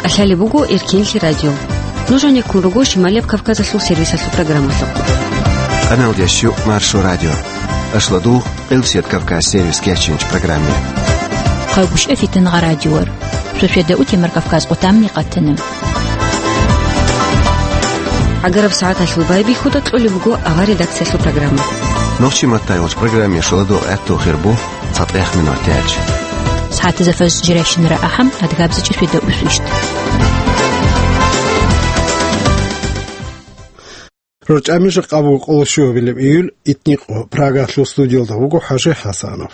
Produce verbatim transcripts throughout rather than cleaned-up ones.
КӀалъалеб буго Эркенлъи радио. Нуж гьанеккун руго Шималияб Кавказалъул сервисалъул программалъухъ. Къаналдеш юкъ Маршо радио. Ашладугъ, Къилсият Кавказ сервис кечинч программе. Хъагушев Фитангъа радиор. Шошведа утемар Кавказ къутамни къатана. ГӀагараб сагӀаталъул байбихьуда кьолеб буго авар редакциялъул программа. Нохчи маттайгъуч программе шуладугъ гӀатту хирбу. ЦатӀех минут тяч. СагӀатазда фаз жирайщинара ахӀам, адгабза чӀешуеда усвищт. РорчӀами жакъа буго къоло щуабилеб июль, итникъо, Прагалъул студиялда вуго ХӀажи ХӀасанов.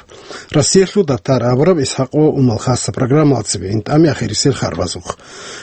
Россиялъул датар абураб ИсхӀакъ ва Умал хасса программалцебе интӀами ахирисел харбазухъ.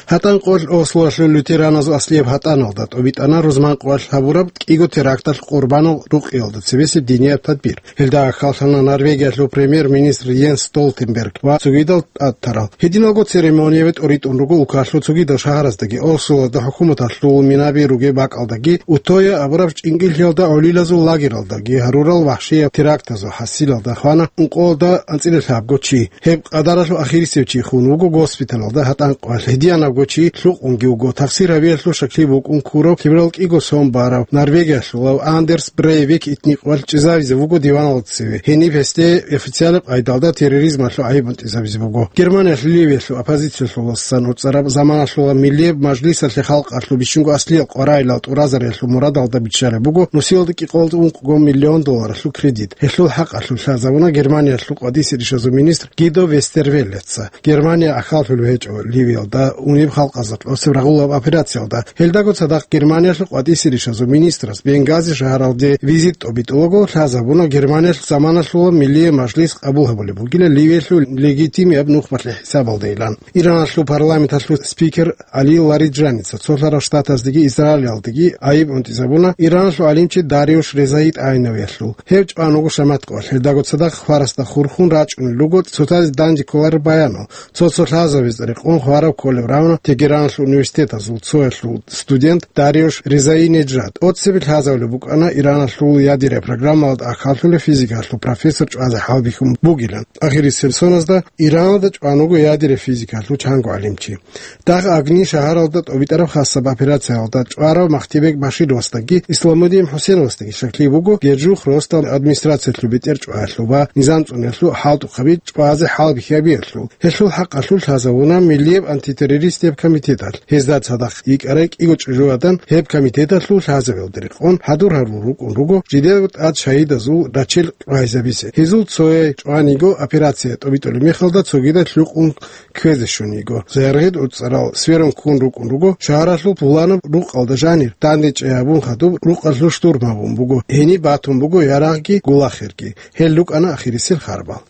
ГьатӀан къоялъ Ослоялъул лютераназул аслияб гьатӀаналда тӀобитӀана рузман къоялъ гьабураб кӀиго теракталъ къурбанал рукъиялда цебесеб динияб тадбир. Гьелда ахӀаллъана Норвегиялъул премьер-министр Йенс Столтенберг ва цогидал тӀадтарал. Гьединалго церемониябе тӀоритӀун руго улкалъул цогидал шагьараздаги, Ослоялда хӀукуматалъул минаби ругеб бакӀалдаги, Утоя абураб чӀинкӀиллъиялда гӀолилазул лагералдаги гьарурал вахӀшияб терактазул хӀасилалда хвана ункъоялда анцӀила лъабго чи. Гьеб къадаралъул ахирисев чи хун вуго госпиталалда гьатӀан къоялъ. Гьединабго чи лъукъунги вуго. Тахсир гьабиялъул щаклъи букӀун ккурав лъимерал кӀиго сон барав норвегиялъулав Андерс Брейвик итникъоялъ чӀезавизе вуго диваналда цеве. Гьениб гьесде официалаб къайдалда терроризмалъул гӀайиб унтӀизабизе буго. Германиялъ Ливиялъул оппозициялъуласан уцӀараб заманалъула Миллияб мажлисалъе халкъалъул бищунго аслиял къваригӀелал тӀуразариялъул мурадалда биччалеб буго нусиялда кӀикъоялда ункъго миллион долларалъул кредит. Гьелъул хӀакъалъулъ лъазабуна Германиялъул къватӀисе ришазул министр Гидо Вестервеллеца. Германия ахӀаллъулеб гьечӀо Ливиялда унеб халкъазда тӀосеб рагъулаб операциялда. Гьелдаго цадахъ Германиялъул къватӀисе ришазул министрас Бенгази шагьаралде визит тӀобитӀулаго лъазабуна Германиялъ заманалъула Миллияб мажлис къабул гьабулеб бугила Ливиялъул легитимияб нухмалъе хӀисабалдайилан. Ираналъул парламенталъул спикер Али Лариджаница Цолъарал Штатаздеги Израилалдеги гӀайиб унтӀизабуна Ираналъул гӀалимчи Дариуш Резаи тӀагӀинавиялъул. Гьев чӀван вуго шамат къоялъ, гьелдаго цадахъ хварасда хурхун рачӀунел руго цоцазе данде кколареб баянал. Цо-цо лъазабазда рекъон хвараб кколеб равна Тегераналъул университетазул цоялъул студент Дариуш Резаи Неджад. ТӀоцебе лъазабулеб букӀана Ираналъул ядераб программалда ахӀаллъулев физикалъул профессор чӀвазе хӀалбихьун бугилан. Ахирисеб соназда Ираналда чӀван вуго ядераб физикалъул чанго гӀалимчи. Дагъ Агни шагьаралда тӀобитӀараб хасаб операциялда чӀварав Махтибек Башировасдаги Исламудин ХӀусеновасдаги щаклъи буго Гержух росдал администрациялъул бетӀер чӀваялъул ва низам цӀуниялъул хӀалтӀухъаби чӀвазе хӀалбихьабиялъул. Гьелъул хӀакъалъулъ лъазабуна Миллияб антитеррористияб комитеталъ. Гьезда цадахъ йикӀарай кӀиго чӀужугӀадан гьеб комитеталъул лъазабиялда рекъон хӀадур гьарун рукӀун руго жидедаго тӀад шагьидазул рачел чӀвайзабизе. Гьезул цояй чӀван йиго операция тӀобитӀулеб мехалда цогидал лъукъун кквезе щун йиго. Зергъид уцӀарал сверун ккун рукӀун руго шагьаралъул пуланаб рукъалда жанир, данде чӀей гьабун хадуб рукъалъул штурм гьабун буго, гьениб батун буго ярагъги гулахирги. Гьел рукӀана ахирисел харбал.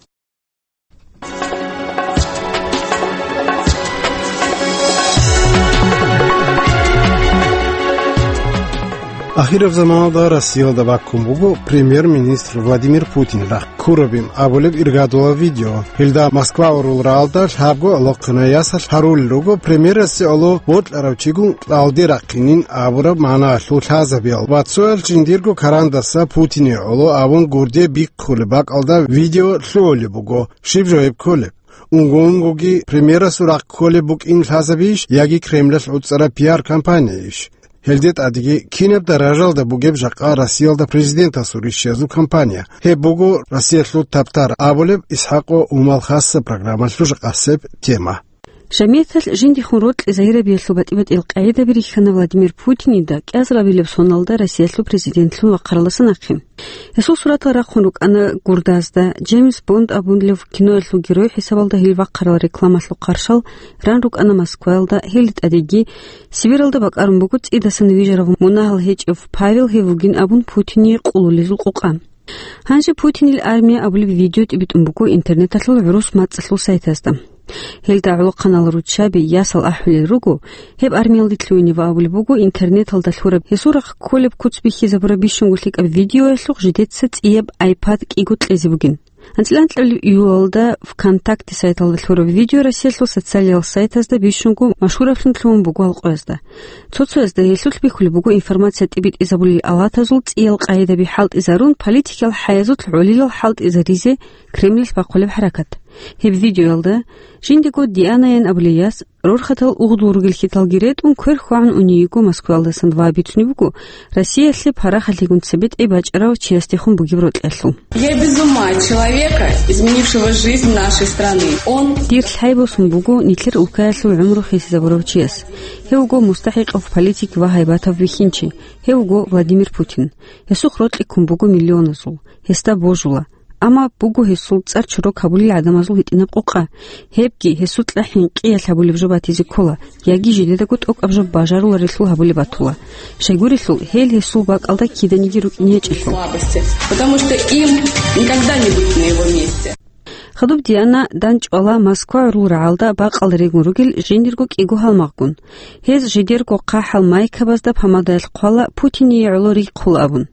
Ахираб заманалда Россиялда баккун буго премьер-министр Владимир Путин рахъ ккурабин абулеб иргадулаб видео. Гьелда Москва гӀурулраалда лъабго алохъанай ясалъ гьарулел руго премьерасе гӀоло бокьарав чигун кьалде рахъинин абураб магӀнаялъул лъазабиял ва цоял жиндирго карандаса Путине гӀоло абун гурде бихъулеб бакӀалда видео лъугьулеб буго. Щиб жо гьеб кколеб? Унго-унгоги премьерасул рахъ кколеб букӀин лъазабийищ яги Кремлалъ гӀуцӀараб пиар-компанияйищ? Гьелде тӀадеги кинаб даражалда бугеб жакъа Россиялда президентасул рищиязул кампания? Гьеб буго Россиялъул табтар абулеб ИсхӀакъ ва Умал хасса программалъул жакъасеб тема. Жамигьаталъ жиндихун рокьи загьирабиялъул батӀи-батӀиял къагӀидаби рихьана Владимир Путинида кӀиазарабилеб соналда Россиялъул президентлъун вахъаралдаса нахъе. Гьесул суратал рахъун рукӀана гурдазда, Джеймс Бонд абунлев киноялъул герой хӀисабалда гьел вахъарал рекламалъул хъаршал ран рукӀана Москваялда, гьелде тӀадеги Сибиралда бакӀарун буго цӀидасан вижарав мунагьал гьечӀев Павел гьев вугин абун Путине къулулезул къукъа. Гьанже Путинил армия абулеб видео тӀибитӀун буго интернеталъул гӀурус мацӀалъул сайтазда. Гьелда гӀолохъанал руччаби, ясал ахӀулел руго, гьеб армиялде лъугьинев абулеб буго интернеталда лъураб гьесул рахъ кколеб куц бихьизабураб бищунго лъикӀаб видеоялъухъ жидеца цӀияб iPad кӀиго кьезе бугин. АнцӀила анкьабилеб июлалда ВКонтакте сайталда лъураб видео Россиялъул социалиял сайтазда бищунго машгьураблъун лъугьун буго гьал къоязда. Цо-цоязда гьелъулъ бихьулеб буго информация тӀибитӀизабулел алатазул цӀиял къагӀидаби хӀалтӀизарун, политикиял хӀаязулъ гӀолилал хӀалтӀизаризе Кремлалъ бахъулеб хӀаракат. Гьеб видеоялда жиндего Дианаян абулей яс рорхатал угъдул ругел хьиталги ретӀун квер хьвагӀун уней йиго Москваялдасан ва бицунеб буго Россиялъе парахалъегун цебетӀей бачӀарав чиясдехун бугеб рокьалъул. Я без ума от человека, изменившего жизнь нашей страны. Он Дир лъай босун буго нилъер улкаялъул гӀумру хисизабурав чияс. Гьев вуго мустахӀикъав политик ва гьайбатав вихьинчи. Гьев вуго Владимир Путин. Гьесухъ рокьи ккун буго миллионазул. Гьесда божула. Амма буго гьесул цӀар чорок гьабулел гӀадамазул гьитӀинаб къокъа. Гьебги гьесукьа хӀинкъиялъ гьабулеб жо батизе ккола, яги жидедаго тӀокӀаб жо бажаруларелъул гьабулеб батула. Щайгурелъул, гьел гьесул бакӀалда киданиги рукӀине гьечӀелъул. Слабости, потому что им никогда не быть на его месте. Хадуб Диана дандчӀвала Москва гӀурул рагӀалда бакъал регун ругел жиндирго кӀиго гьалмагъгун. Гьез жидерго хъахӀал майкабазда помадаялъ хъвала Путине гӀоло рихъула абун.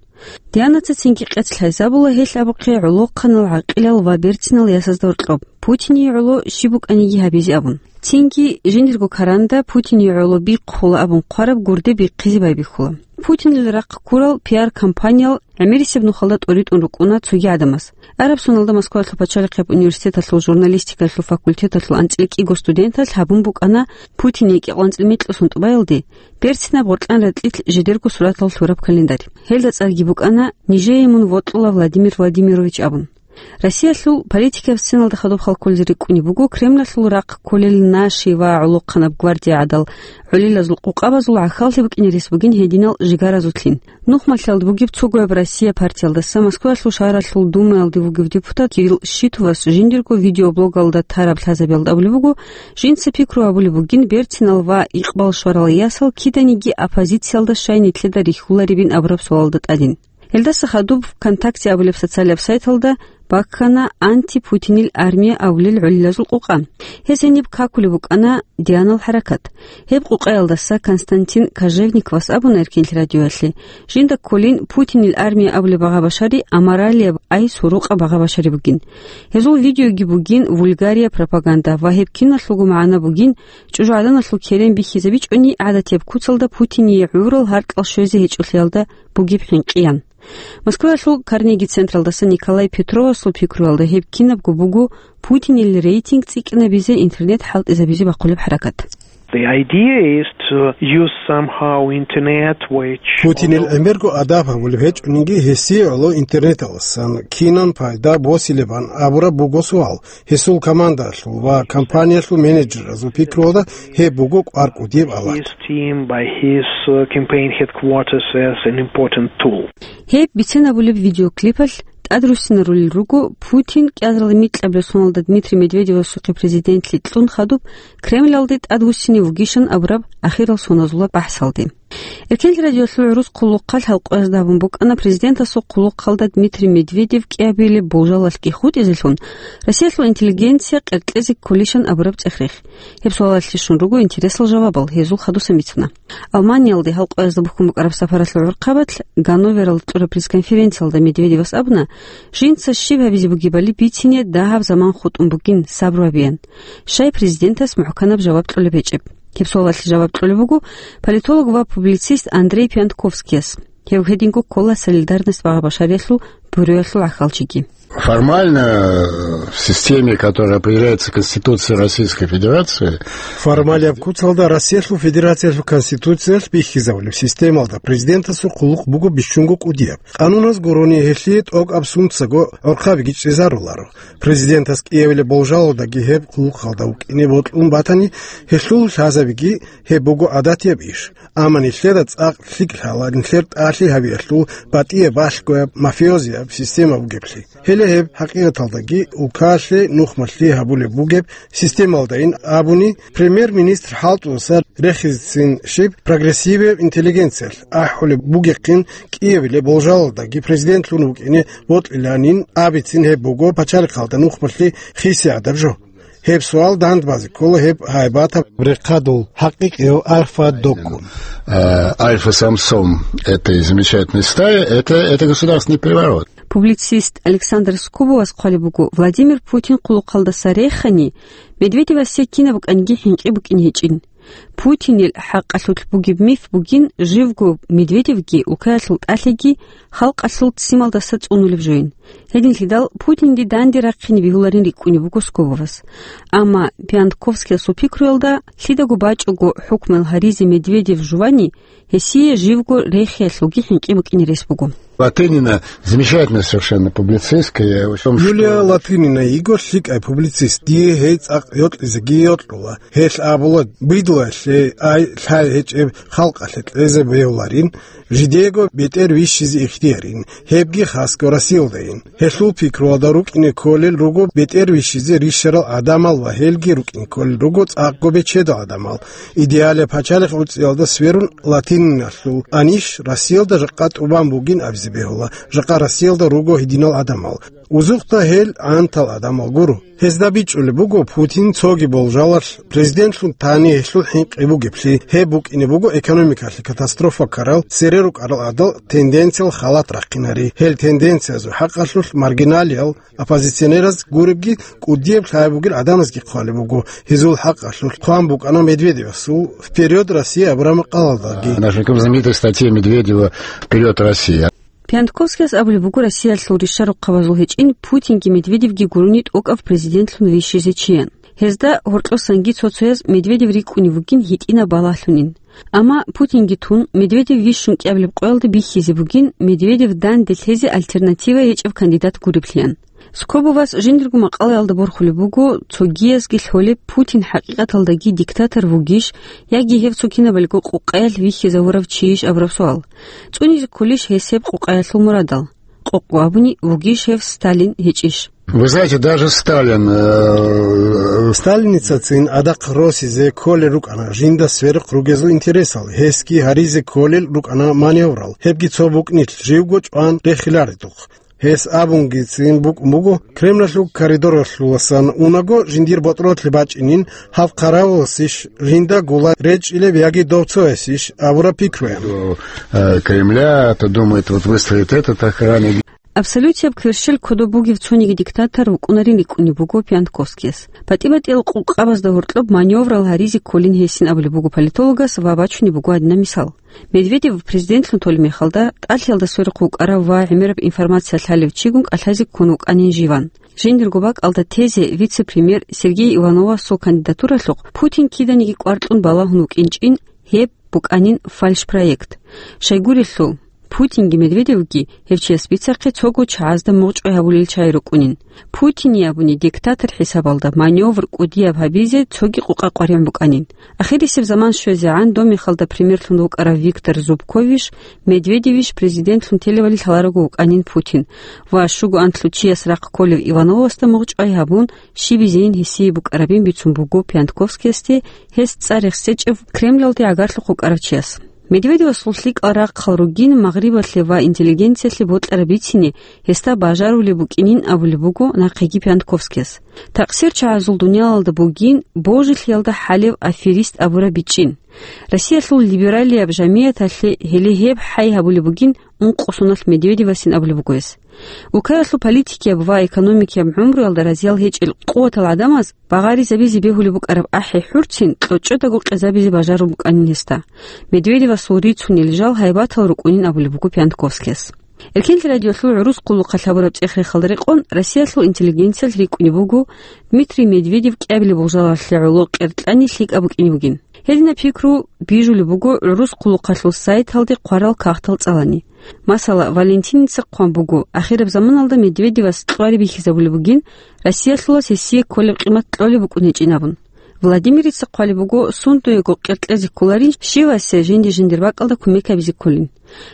Дианаца цинги къец лъазабула гьелъ абухъе гӀолохъанал гӀакъилал ва берцинал ясазда гьоркьоб, Путине гӀоло щиб букӀаниги гьабизе абун. Цинги жиндирго каранда Путине гӀоло бихъула абун хъвараб гурде бихъизе байбихьула. Путинил рахъ ккурал пиар-компаниял гӀемерисеб нухалда тӀоритӀун рукӀуна цоги гӀадамаз. Араб соналда Москваялъул пачалихъияб университеталъул журналистикалъул факультеталъул анцӀила кӀиго студенталъ гьабун букӀана Путине кӀикъоялда анцӀила микьго сунтӀбаялде берцинаб гъоркьан ратӀлилъ жидерго суратал лъураб календарь. Гьелда цӀарги букӀана «Нижее мун вокьула, Владимир Владимирович» абун. Россиялъул политикаб сценалда хадуб хал кколзе рикӀкӀунеб буго Кремлалъул рахъ кколел наши ва гӀолохъанаб гвардия гӀадал гӀолилазул къукъабазул гӀахьаллъи букӀине рес бугин гьединал жигаразулъин. Нухмалъиялда бугеб цогояб Россия партиялдаса Москваялъул шагьаралъул Думаялде вугев депутат Кирилл Щитовас жиндирго видеоблогалда тараб лъазабиялда абулеб буго, жинца пикру гьабулеб бугин берцинал ва икъбал щварал ясал киданиги оппозициялда щай нилъеда рихьуларебин абураб суалалда тӀадин. Гьелдаса хадуб ВКонтакте абулеб социалияб сайталда баккана «Антипутинил армия» абулел гӀолилазул къукъа. Гьез гьениб какулеб букӀана Дианал хӀаракат. Гьеб къукъаялдаса Константин Кожевниковас абуна Эркенлъи радиоялъе, жинда кколин «Путинил армия» абулеб багъа башари аморалияб, ай сурукъаб багъа башари бугин. Гьезул видеоги бугин вульгария, пропаганда ва гьеб киналъулго магӀна бугин чӀужугӀаданалъул керен бихьизабичӀони гӀадатияб куцалда Путине гӀурал гьаркьал щвезе гьечӀолъиялда бугеб хӀинкъиян. Москваялъул Карнеги централдаса Николай Петровасул пикруялда гьеб кинабго буго Путинил рейтинг цӀикӀкӀинабизе интернет хӀалтӀизабизе бахъулеб хӀаракат. The idea is to use somehow internet, which Путинил гӀемерго адаб гьабулеб гьечӀониги гьесие гӀоло интернеталдасан кинан пайда босилебан абураб буго суал. Гьесул командаялъул ва компаниялъул менеджерразул пикруялда гьеб буго кӀвар кӀудияб алат. His team by his, uh, campaign headquarters as an important tool. Гьеб бицен абулеб видеоклипалъ тӀадруссинарулел руго Путин кӀиазарилан микьабилеб соналда Дмитрий Медведевасухъе президентлъи кьун хадуб Кремлалде тӀадвуссине вугищан абураб ахирал соназулаб бахӀсалде. Эркенлъи радиолъул гӀурус хъулухъалъ гьалкъоязда гьабун букӀана президентасул хъулухъалда Дмитрий Медведев кӀиабилеб болжалалъги хутӀизелъун Россиялъул интеллигенция къеркьезе кколищан абураб цӀех-рех. Гьеб суалалъе щун руго интересал жавабал гьезул хадусан бицуна. Алманиялде гьалкъоязда бухьун букӀараб сапаралъул гӀурхъабалъ Ганновералда кьураб пресс-конференциялда Медведевас абуна, жинца щиб гьабизе бугебали бицине дагьаб заман хутӀун бугин, сабру гьабеян. Щай президентас мухӀканаб жаваб кьолеб гьечӀеб? Гьеб суалалъе жаваб кьолеб буго политолог ва публицист Андрей Пиантковскияс. Гьев гьединго ккола «Солидарность» багъа башариялъул бюроялъул гӀахьалчиги. Формально, э, в системе, которая определяется Конституцией Российской Федерации, Формалияб куцалда Россиялъул Федерациялъул Конституциялъ бихьизабулеб системалда президентасул хъулухъ буго бищунго кӀудияб. Къануназ гурони гьелъие тӀокӀаб сунцаго гӀурхъабиги чӀезаруларо. Президентас кӀиявилеб болжалалдаги гьеб хъулухъалда вукӀине бокьун батани, гьелъул лъазабиги гьеб буго гӀадатияб иш. Амма нилъеда цӀакъ лъикӀ лъала нилъер тӀалъи гьабиялъул батӀияб балъгояб мафиозияб система бугеблъи. Гьеле гьеб хӀакъикъаталдаги улкалъе нухмалъи гьабулеб бугеб системалдайин абуни, премьер-министр хӀалтӀудаса рехизецин щиб прогрессивияб интеллигенциялъ ахӀулеб бугехъин кӀиявилеб болжалалдаги президентлъун вукӀине бокьиланин абицин гьеб буго пачалихъалда нухмалъи хисиядаб жо. Гьеб суал дандбазе ккола гьеб гьайбатаб рехъадул хӀакъикъияв Альфа Докку. Э, Альфа Самсон этой замечательной стаи, это, это государственный переворот. Публицист Александр Скобовас хъвалеб буго, Владимир Путин хъулухъалдаса рехани, Медведевасе кинаб букӀаниги хӀинкъи букӀин гьечӀин. Путинил хӀакъалъулъ бугеб миф бугин, живго Медведевги Укаялъул тӀалъиги халкъалъул ццималдаса цӀунулеб жойин. Гьединлъидал Путинги данде рахъине бегьуларин рикӀкӀунеб буго Скобовас. Амма Пиантковскиясул пикруялда, лъидаго бачӀого хӀукмуял гьаризе Медведев жувани, гьесие живго рехиялъулги хӀинкъи букӀине рес буго. Латынина замечательная совершенно публицистка. Я, в общем, Юлия что Латынина йиго лъикӀай публицист. Дие гьей цӀакъ йокьизеги йокьула. Гьелъ абула, бидлуялъе ай лъай гьечӀеб халкъалъе кьезе бегьуларин, жидеего бетӀер вищизе ихтиярин, гьебги хасго Россиялдайин. Гьелъул пикруялда рукӀине кколел руго бетӀер вищизе рищарал гӀадамал ва гьелги рукӀине кколел руго цӀакъго бечедал гӀадамал. Идеалияб пачалихъ гӀуцӀиялда сверун, Латининалъул анищ Россиялда жакъа тӀубан бугин абизе бегьула, жакъа Россиялда руго гьединал гӀадамал. Узухъда гьел гӀантал гӀадамал гуро. Гьезда бичӀчӀулеб буго, Путин цоги болжалалъ президентлъун тани гьелъул хӀинкъи бугеблъи. Гьеб букӀине буго экономикалъе катастрофа ккарал, цере рукӀарал гӀадал тенденциял халат рахъинари. Гьел тенденциязул хӀакъалъулъ маргиналиял, оппозиционераз гуребги, кӀудияб лъай бугел гӀадамазги хъвалеб буго. Гьезул хӀакъалъулъ хъван букӀана Медведевасул «Вперёд, Россия» абураб макъалалдаги. Нашим знаменитой статье Медведева «Вперёд, Россия». Пиантковскияс абулеб буго, Россиялъул ришарухъабазул гьечӀин Путинги Медведевги гурони тӀокӀаб президентлъун вищизе чиян. Гьезда гьоркьосанги цо-цояз Медведев рикӀкӀунев вугин гьитӀинаб балагьлъунин. Амма Путинги тун, Медведев вищун кӀиабилеб къоялда бихьизе бугин, Медведев данде лъезе альтернатива гьечӀеб кандидат гуреблъиян. Скобовас жиндирго макъалаялда борхулеб буго, цогиязги лъолеб, Путин хӀакъикъаталдаги диктатор вугищ, яги гьев цо кинабалго къукъаялъ вихьизавурав чийищ абураб суал. ЦӀунизе кколищ гьес гьеб къукъаялъул мурадал? Къокъго абуни, вугищ гьев Сталин, гьечӀищ? Вы знаете, даже Сталин, э, Сталиницацин адахъ росизе кколел рукӀана жинда сверухъ ругезул интересал, гьесги гьаризе кколел рукӀана маневрал, гьебги цо букӀнилъ живго чӀван рехиларедухъ. Гьес абунгицин букӀун буго, Кремлалъул коридоралъуласан унаго жиндир ботӀролъи бачӀинин, гьав хъаравуласищ, жинда гула речӀчӀилеб яги дов цоясищ абураб пикруян. Э, Кремля, то думает, вот выстроит этот охранник. Абсолютияб кверщел кодоб бугев цониги диктатор вукӀунарин рикӀкӀунеб буго Пиантковскияс. ПатӀи-батӀиял къукъабазда гьоркьоб маневрал гьаризе кколин гьесин абулеб буго политологас ва бачунеб буго гьадинаб мисал. Медведев президентлъун толеб мехалда, тӀалъиялда сверухъ вукӀарав ва гӀемераб информация лъалев чигун кӀалъазе ккун вукӀанин живан. Жиндирго бакӀалда тезе вице-премьер Сергей Ивановасул кандидатуралъухъ Путин киданиги кӀвар кьун балагьун вукӀинчӀин, гьеб букӀанин фальшпроект. Щайгурелъул, Путинги Медведевги гьев чияс бицахъе цого чагӀазда мугъчӀвай гьабулел чагӀи рукӀунин. Путине абуни диктатор хӀисабалда маневр кӀудияб гьабизе цоги къукъа къваригӀун букӀанин. Ахирисеб заман щвезегӀан доб мехалда премьерлъун вукӀарав Виктор Зубковищ, Медведевищ президентлъун телевали лъаларого вукӀанин Путин ва щуго анлъго чияс рахъ кколев Ивановасда мугъчӀвай гьабун, щибизейин гьесие букӀарабин бицун буго Пиантковскиясде, гьес цӀар рехсечӀев Кремлалде гӀагарлъухъ вукӀарав чияс. Медведевасул лъикӀал рахъал ругин Магърибалъе ва интеллигенциялъе бокьараб бицине гьесда бажарулеб букӀинин абулеб буго нахъеги Пиантковскияс. Такъсир чагӀазул дуниялалда бугин божилъиялда хӀалев аферист абураб бичӀчӀин. Россиялъул либералияб жамияталъе гьеле гьеб хӀай гьабулеб бугин ункъо соналъ Медведевасин абулеб буго гьес. Укаялъул политикияб ва экономикияб гӀумруялда разиял гьечӀел къуватал гӀадамаз багъаризабизе бегьулеб букӀараб ахӀи-хӀурцин кьочӀодаго къезабизе бажарун букӀанин гьесда. Медведевасул рицунел жал гьайбатал рукӀунин абулеб буго Пиантковскияс. Эркенлъи радиолъул гӀурус хъулухъалъ гьабураб цӀех-рехалда рекъон Россиялъул интеллигенциялъ рикӀкӀунеб буго Дмитрий Медведев кӀиабилеб болжалалъе гӀоло къеркьани лъикӀаб букӀине бугин. Гьединаб пикру бижулеб буго гӀурус хъулухъалъул сайталде хъварал кагътал цӀалани. Масала, Валентиница хъван буго, ахираб заманалда Медведевас кьвари бихьизабулеб бугин, Россиялъулас гьесие кколеб къимат кьолеб букӀун гьечӀин абун. Владимирица хъвалеб буго, сундуего къеркьезе кколарин, щивасе жинди-жиндир бакӀалда кумек гьабизе кколин.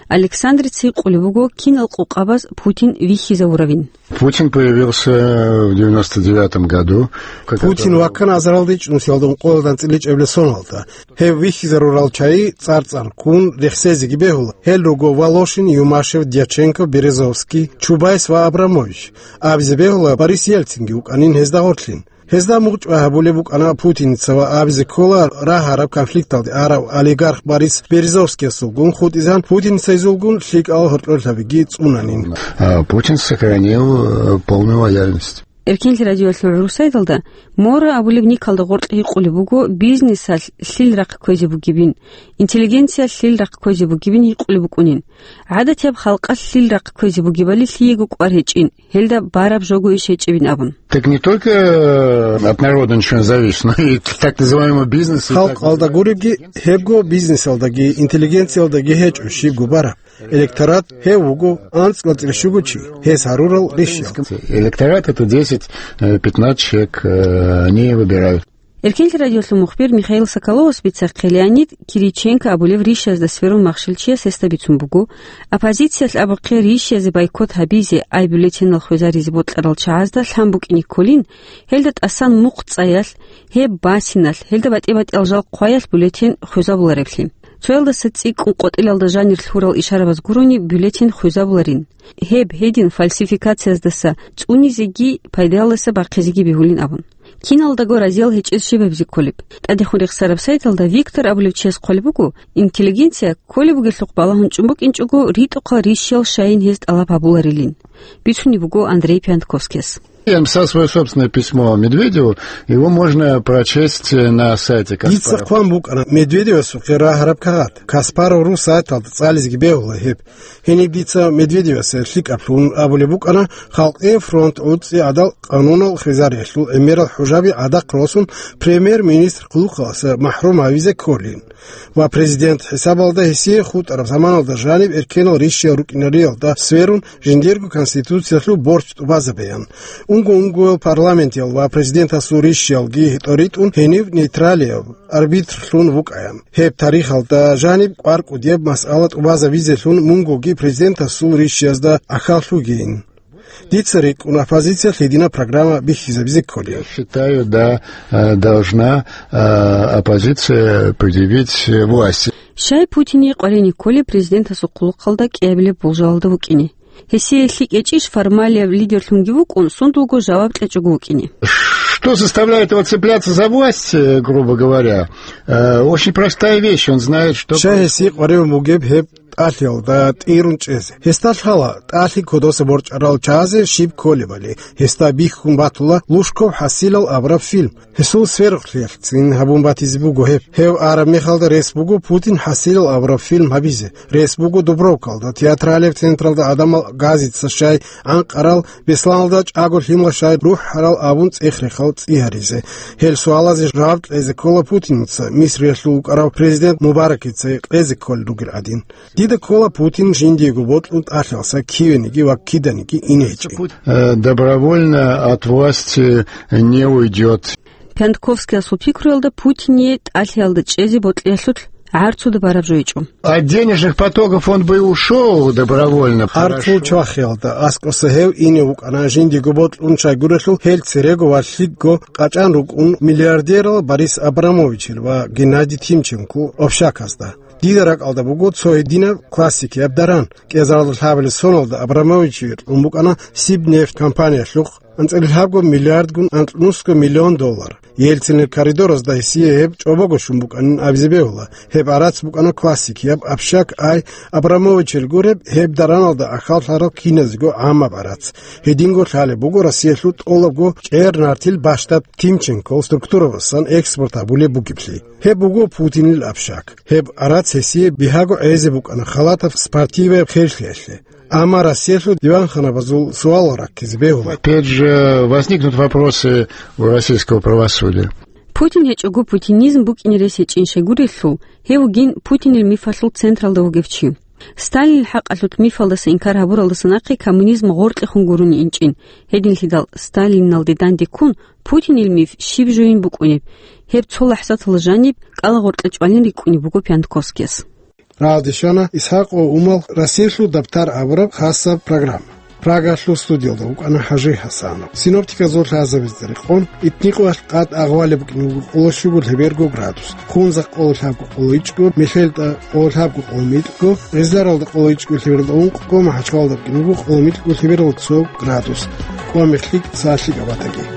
Александрица гьикъулеб буго, кинал къукъабаз Путин вихьизавуравин. Путин появился в девяносто девятом году. Путин ваккана азаралда ичӀнусиялда ункъоялда анцӀила ичӀабилеб соналда. Гьев вихьизарурал чагӀи цӀар-цӀар ккун рехсезеги бегьула. Гьел руго Волошин, Юмашев, Дьяченко, Березовский, Чубайс ва Абрамович. Абизе бегьула, Борис Ельцинги вукӀанин гьезда гъорлъин. Гьезда мугъчӀвай гьабулеб букӀана Путиница ва абизе ккола рагьараб конфликталде арав олигарх Борис Березовскиясулгун хутӀизан, Путиницайзулгун лъикӀал гьоркьорлъабиги цӀунанин. А Путин сохранил, э, полную лояльность. Эркенлъи радиоялъул гӀурусайдалда Мора абулеб никалда гъоркье гьикъулеб буго бизнесалъ лъил рахъ кквезе бугебин, интеллигенциялъ лъил рахъ кквезе бугебин гьикъулеб букӀунин. ГӀадатияб халкъалъ лъил рахъ кквезе бугебали лъиего кӀвар гьечӀин, гьелда бараб жого иш гьечӀебин абун. Так не только, э, от народа ничего не зависит, но и так называемого бизнеса, и так Халкъалда называемого гуребги, гьебго бизнесалдаги, интеллигенциялдаги гьечӀо щибго бараб. Электорат гьев вуго анцӀ-анцӀила щуго чи, гьес гьарурал рищал. Электорат — это десять, э, пятнадцать человек, э, они выбирают. Эркенлъи радиолъул мухбир Михаил Соколовас бицахъе Леонид Кириченко абулев рищазда сверун махщел чияс гьесда бицун буго, оппозициялъ абухъе рищазе бойкот гьабизе, ай бюллетенал хвезаризе бокьарал чагӀазда лъан букӀине кколин, гьелда тӀасан мухъ цӀаялъ, гьеб басиналъ, гьелда батӀи-батӀиял жал хъваялъ бюллетен хвезабулареблъи. Цоялдаса цӀикӀкӀун къотӀилалда жанир лъурал ишарабаз гурони бюллетен хвезабуларин. Гьеб гьедин фальсификацияздаса цӀунизеги пайдаялдаса бахъизеги бегьулин абун. Киналдаго разиял гьечӀез щиб гьабизе кколеб? ТӀадехун рехсараб сайталда Виктор абулев чияс хъвалеб буго, интеллигенция кколеб бугелъухъ балагьун чӀун букӀинчӀого ритӀухъал рищал щайин гьез тӀалаб гьабуларилин. Бицунеб буго Андрей Пиантковскияс. Я написал своё собственное письмо Медведеву. Его можно прочесть на сайте Дица Каспаров. Хъван букӀана Медведевасухъе рагьараб кагъат. Каспаров ру сайталда цӀализеги бегьула гьеб. Гьениб дица Медведевасе лъикӀаблъун абулеб букӀана, Халкъие фронт гӀуцӀи гӀадал къанунал хвезариялъул гӀемерал хӀужаби гӀадахъ росун, премьер-министр хъулухъаласа махӀрум гьавизе кколин. Ва президент хӀисабалда гьесие хутӀараб заманалда жаниб эркенал рищал рукӀинариялда сверун жиндирго конституциялъул борч тӀубазабеян. Унго-унгоял парламентиял ва президентасул рищалги тӀоритӀун гьенив нейтралияб арбитрлъун вукӀаян. Гьеб тарихалда жаниб кӀвар-кӀудияб масъала тӀубазабизелъун мунгоги президентасул рищазда ахьаллъугейин. Дица рикӀкӀун оппозициялъ гьединаб программа бихьизабизе кколин. Я считаю, да, э, должна, э, оппозиция предъявить власти. Щай Путине къваригӀине кколеб президентасул хъулухъалда кӀиабилеб болжалалда вукӀине? Гьесие лъикӀ гьечӀищ формалияб лидерлъунги вукӀун, сундулго жаваб кьечӀого вукӀине? Что заставляет его цепляться за власть, э, грубо говоря? Э, очень простая вещь, он знает, что Щай гьесие происходит. КъваригӀун бугеб гьеб тӀалъиялда тӀирун чӀезе? Гьесда лъала тӀалъи кодоса борчӀарал чагӀазе щиб кколебали, гьесда бихьун батула Лужков хӀасилал абураб фильм. Гьесул сверухълъиялъцин гьабун батизе буго гьеб. Гьев араб мехалда рес буго Путин хӀасилал абураб фильм гьабизе. Рес буго Дубровкалда, театралияб централда гӀадамал газица щай анкъарал, Бесланалда чӀаго лъимал щай рухӀарал абун цӀех-рехал цӀи гьаризе. Гьел суалазе жаваб кьезе ккола Путинца, Мисриялъул вукӀарав президент Мубаракица кьезе кколел ругел гӀадин. Дида ккола Путин жиндиего бокьун тӀалъиялдаса кивениги ва киданиги ине гьечӀин. Э, добровольно от власти не уйдёт. Пиантковскиясул пикруялда Путине тӀалъиялда чӀезе бокьиялъулъ гӀарцуда бараб жо гьечӀо. От денежных потоков он бы и ушёл добровольно, гӀарцул хорошо. Чвахиялда аскӀоса гьев ине вукӀана жиндиего бокьун щайгурелъул гьел церего ва лъикӀго къачӀан рукӀун миллиардерал Борис Абрамовичил ва Геннадий Тимченко общаказда. Дида ракӀалда буго цо гьединаб классикияб даран. КӀезаралда лъабабилеб соналда Абрамовичие кьун букӀана Сибнефть компаниялъухъ анцӀила лъабго миллиардгун анкьнусго миллион доллар. Ельцинил коридоразда гьесие гьеб чӀобого щун букӀанин абизе бегьула. Гьеб гӀарац букӀана классикияб общак, ай Абрамовичил гуреб, гьеб дараналда ахьаллъарал киназего гӀаммаб гӀарац. Гьединго лъалеб буго Россиялъул тӀолабго чӀер-нартил бащдаб Тимченкол структуравасан экспорт гьабулеб бугеблъи. Гьеб буго Путинил общак. Гьеб гӀарац гьесие бигьаго гӀезе букӀана халатаб спортиваяб херлъиялъе. Амма Россиялъул диванханабазул суалал раккизе бегьула. Опять же возникнут вопросы у российского правосудия. Путин гьечӀого путинизм букӀине рес гьечӀин щайгурелъул, гьев вугин Путинил мифалъул централда вугев чи. Сталинил хӀакъалъулъ мифалдаса инкар гьабуралдаса нахъе коммунизм гъоркьехун гурони инчӀин. Гьединлъидал Сталиналде данде ккун, Путинил миф щиб жойин букӀунеб? Гьеб цо лахӀзаталда жаниб кӀалагъоркье чӀвалин рикӀкӀунеб буго Пиантковскияс. Рагъалде щвана ИсхӀакъ ва Умал Россиялъул дабтар абураб хасаб программа. Прагалъул студиялда вукӀана ХӀажи ХӀасанов. Синоптиказул лъазабазда рекъон, итникъоялъ къад агъвалеб букӀине буго къоло щуго лъеберго градус, Хунзахъ къоло лъабго къоло ичӀго, Мехелда къоло лъабго къоло микьго, Гъизларалда къоло ичӀго лъебералда ункъго, МахӀачхъалада букӀине буго къоло микьго лъебералда цо градус. Къо мехлъи цо лъикӀаб батаги.